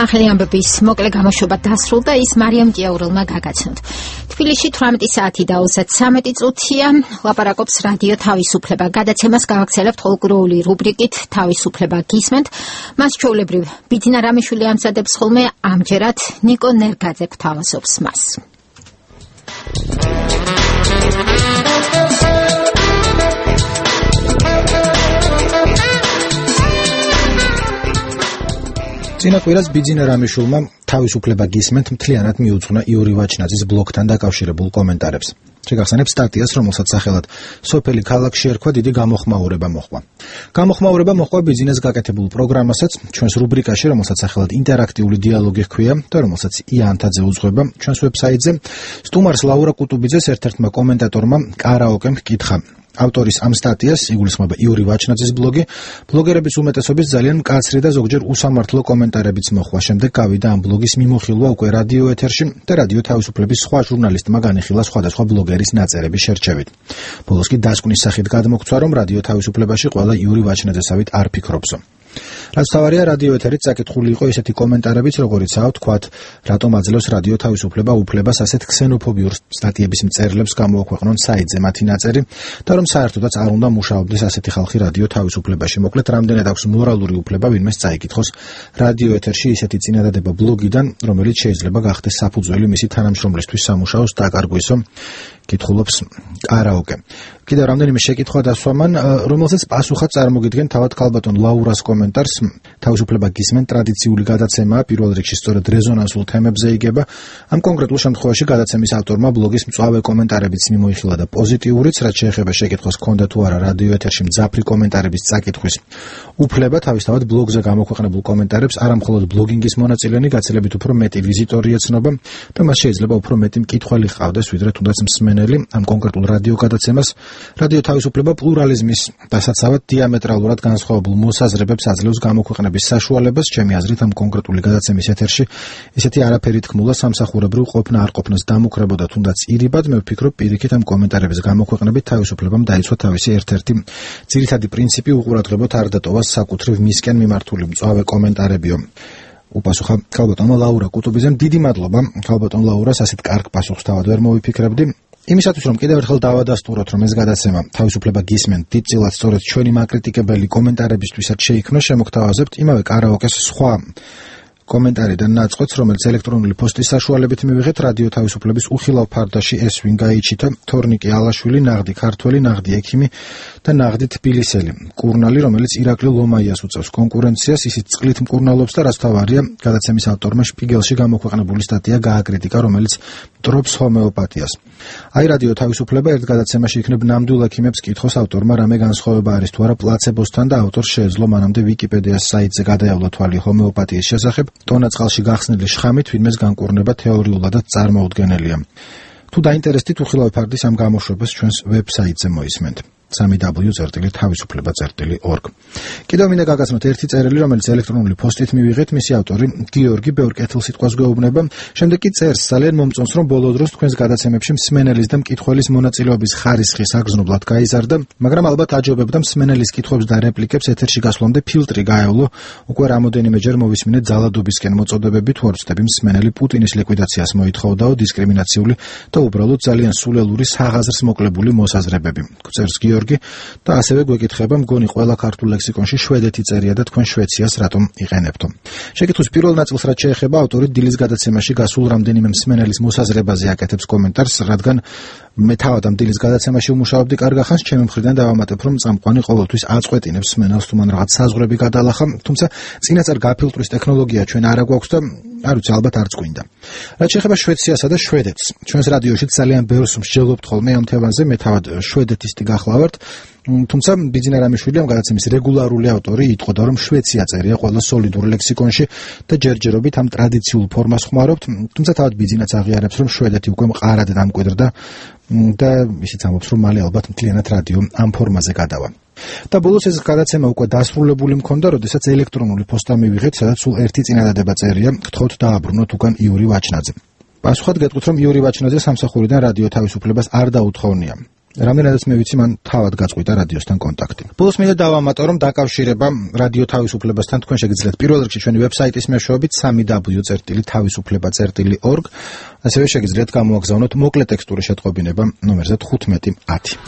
ახალი ამბების მოკლე გამოშვება დასრულდა, ის მარიამ ჭიაურელმა გაგაცნოთ. თბილისში 18 საათი და 33 წუთია. ლაპარაკობს რადიო თავისუფლება. გადაცემას გავაქცელებთ ხოლმდღიური რუბრიკით თავისუფლება გისმენთ. მას ჩვეულებრივ ბიძინა რამიშვილი ამზადებს ხოლმე, ამჯერად ნიკო ნერგაძე გვთავაზობს მას. წინა კვირას ბიძინა რამიშვილმა თავისუფლება გისმენთ მთლიანად მიუძღვნა იური ვაჩნაძის ბლოგთან დაკავშირებულ კომენტარებს. შეგახსენებთ სტატიას, რომელსაც სახელად სოფელი ქალაქში ერქვა, დიდი გამოხმაურება მოჰყვა. გამოხმაურება მოჰყვა ბიძინას გაკეთებულ პროგრამასაც, ჩვენს რუბრიკაში, რომელსაც სახელად ინტერაქტიული დიალოგი ჰქვია და რომელსაც ია ანთაძე უძღვება ჩვენს ვებსაიტზე. სტუმარს ლაურა კუტუბიძეს ერთ-ერთმა კომენტატორმა კარაოკემ ჰკითხა. ავტორის ამ სტატიას იგულისხმება იური ვაჩნაძის ბლოგი. ბლოგერების უმეტესობის ძალიან მკაცრი და ზოგჯერ უსამართლო კომენტარებიც მოჰყვა. შემდეგ გავიდა ამ ბლოგის მიმოხილვა უკვე რადიო ეთერში და რადიო თავისუფლების სხვა ჟურნალისტმა განიხილა სხვადასხვა ბლოგერის ნაწერების შერჩევით. ბოლოს კი დასკვნის სახით გადმოგვცვა, რომ რადიო თავისუფლებაში ყველა იური ვაჩნაძესავით არ ფიქრობსო. რაც თავარია, რადიო ეთერით საკითხული იყო ისეთი კომენტარებიც, როგორიცაა თქვათ, რატომ აძლევს რადიო თავისუფლება უფლებას ასეთ ქსენოფობიურ სტატიების მწერლებს გამოაქვეყნონ საიტზე მათი ნაწერი და რომ საერთოდაც არ უნდა მუშაობდეს ასეთი ხალხი რადიო თავისუფლებაში. მოკლედ, რამდენად აქვს მორალური უფლება ვინმეს წაიკითხოს რადიო ეთერში ისეთი წინადადება ბლოგიდან, რომელიც შეიძლება გახდეს საფუძველი მისი თანამშრომლისთვის სამუშაოს დაკარგვისო, კითხულობს კარაოკე. კიდევ რამდენიმე შეკითხვა დასვამან, რომელსაც პასუხად წარმოგიდგენ თავად ქალბატონ ლაურას კომენტარს. თავისუფლება გისმენ ტრადიციული გადაცემაა, პირველ რიგში სწორედ რეზონანსულ თემებზე იგება. ამ კონკრეტულ შემთხვევაში გადაცემის ავტორმა ბლოგის მწვავე კომენტარებიც მიმოიხილა და პოზიტიურიც, რაც შეეხება შეკითხვას ჰქონდა თუ არა რადიო ეთერში მძაფრი კომენტარების წაკითხვის უფლება, თავისთავად ბლოგზე გამოქვეყნებულ კომენტარებს არა მხოლოდ ბლოგინგის მონაწილენი, გაცილებით უფრო მეტი ვიზიტორი ეცნობა და მას შეიძლება უფრო მეტი მკითხველი ჰყავდეს, ვიდრე თუნდაც მსმენელი ამ კონკრეტულ რადიო გადაცემას. რადიო თავისუფლება პლურალიზმის დასაცავად დიამეტრალურად განსხვავებულ მოსაზრებებს აძლევს გამოქვეყნების საშუალებას. ჩემი აზრით, ამ კონკრეტული გადაცემის ეთერში ისეთი არაფერი თქმულა სამსახურებრივ ყოფნა არ ყოფნას დამუქრებოდა თუნდაც ირიბად. მე ვფიქრობ, პირიქით ამ კომენტარების გამოქვეყნებით თავისუფლებამ დაიცვა თავისი ერთ-ერთი ძირითადი პრინციპი, უყურადღებოდ არ დატოვას საკუთრივ მისკენ მიმართული მწვავე კომენტარებიო. უპასუხა ქალბატონმა ლაურა კუტუბიძემ. დიდი მადლობა ქალბატონ ლაურას, ასეთ კარგ პასუხს თავად ვერ მოვიფიქრებდი. იმისათვის, რომ კიდევ ერთხელ დავადასტუროთ, რომ ეს გადაცემა თავისუფლება გისმენთ დიდწილად სწორედ ჩვენი მაკრიტიკებელი კომენტარებისთვისაც შეიქმნა, შემოგთავაზებთ იმავე კარაოკეს სხვა კომენტარიდან ნაწყვეტს, რომელიც ელექტრონული პოსტის საშუალებით მივიღეთ რადიო თავისუფლების უხილავ ფარდაში ეს ვინ გაიჩიტა, თორნიკე ალაშვილი, ნაღდი ქართველი, ნაღდი ექიმი და ნაღდი თბილისელი. კურნალი, რომელიც ირაკლი ლომაიას უწევს კონკურენციას, ისიც წყლით მკურნალობს და რაც თავარია, გადაცემის ავტორმა შპიგელში გამოქვეყნებული სტატია გააკრიტიკა, რომელიც მტრობს ჰომეოპათიას. აი რადიო თავისუფლება ერთ გადაცემაში იქნებ ნამდვილ ექიმებს კითხოს ავტორმა რამე განსხვავება არის თუ არა პლაცებოსთან და ავტორს შეეძლო მანამდე ვიკიპედიას საიტზე გადაევლა თვალი ჰომეოპათიის შესახებ. ტონა წყალში გახსნილი შხამით ვინმეს განკურნება თეორიულადაც წარმოუდგენელია. თუ დაინტერესდით, უხილავი ფარდის ამ გამოშვებას ჩვენს ვებსაიტზე მოისმენთ. www.თავისუფლება.org. კიდევ მინდა გაგაცნოთ ერთი წერილი, რომელიც ელექტრონული პოსტით მივიღეთ, მისი ავტორი გიორგი ბევრ კეთილსიტყვას გვეუბნება. შემდეგ კი წერს, ძალიან მომწონს, რომ ბოლო დროს თქვენს გადაცემებში მსმენელის და მკითხველის მონაწილეობის ხარისხი საგრძნობლად გაიზარდა, მაგრამ ალბათ აჯობებდა მსმენელის კითხვებს და რეპლიკებს ეთერში გასვლამდე ფილტრი გაევლო. უკვე რამოდენიმეჯერ მოვისმინეთ ძალადობისკენ მოწოდებები, თუ არ ვწდები მსმენელი პუტინის ლიკვიდაციას მოითხოვდაო, დისკრიმინაციული და უბრალოდ ძალიან სულელური საღაზრს მოკლებული მოსაზრებები. წერს გიორგი და ასევე გვეკითხება, მგონი ყველა ქართულ ლექსიკონში შვედეთი წერია და თქვენ შვეციას რატომ იყენებთო. შეკითხვის პირველ ნაწილს რაც შეეხება, ავტორი დილის გადაცემაში გასულ რამდენიმე მსმენელის მოსაზრებაზე აკეთებს კომენტარს, რადგან მე თავად ამ დილის გადაცემაში ვმუშაობდი კარგ ახანს, ჩემი მხრიდან დავამატებ, რომ წამყვანი ყოველთვის აწყვეტინებს მსმენელს თუ მან რაღაც საზღვრები გადალახა, თუმცა წინასწარ გაფილტვის ტექნოლოგია ჩვენ არ აგვაქვს და არ ვიცი, ალბათ არც გვინდა. რაც შეეხება შვეციასა და შვედეთს, ჩვენს რადიოში ძალიან ბევრს მსჯელობთ ხოლმე ამ თემაზე, მე თავად შვედეთისტი გახლავართ. თუმცა ბიძინა რამიშვილი ამ გადაცემის რეგულარული ავტორი იტყოდა, რომ შვეცია წერია ყველა სოლიდურ ლექსიკონში და ჯერჯერობით ამ ტრადიციულ ფორმას ხმარობთ, თუმცა თავად ბიძინაც აღიარებს, რომ შვედეთი უკვე მყარად დამკვიდრდა და ისიც ამბობს, რომ მალე ალბათ მთლიანად რადიო ამ ფორმაზე გადავა. და ბოლოს ეს გადაცემა უკვე დასრულებული მქონდა, როდესაც ელექტრონული პოსტა მივიღეთ, სადაც სულ ერთი წინადადება წერია, გთხოვთ დააბრუნოთ უკან იური ვაჩნაძე. პასუხად გეტყვით, რომ იური ვაჩნაძე სამსახურიდან რადიო თავისუფლებას არ დაუთხოვნია. რამდენადაც მე ვიცი, მან თავად გაწყვიტა რადიოსთან კონტაქტი. ბოლოს მინდა დავამატო, რომ დაკავშირება რადიო თავისუფლებასთან თქვენ შეგიძლიათ პირველ რიგში ჩვენი ვებსაიტის მეშვეობით www.tavisufleba.org, ასევე შეგიძლიათ გამოაგზავნოთ მოკლე ტექსტური შეტყობინება ნომერზე 1510.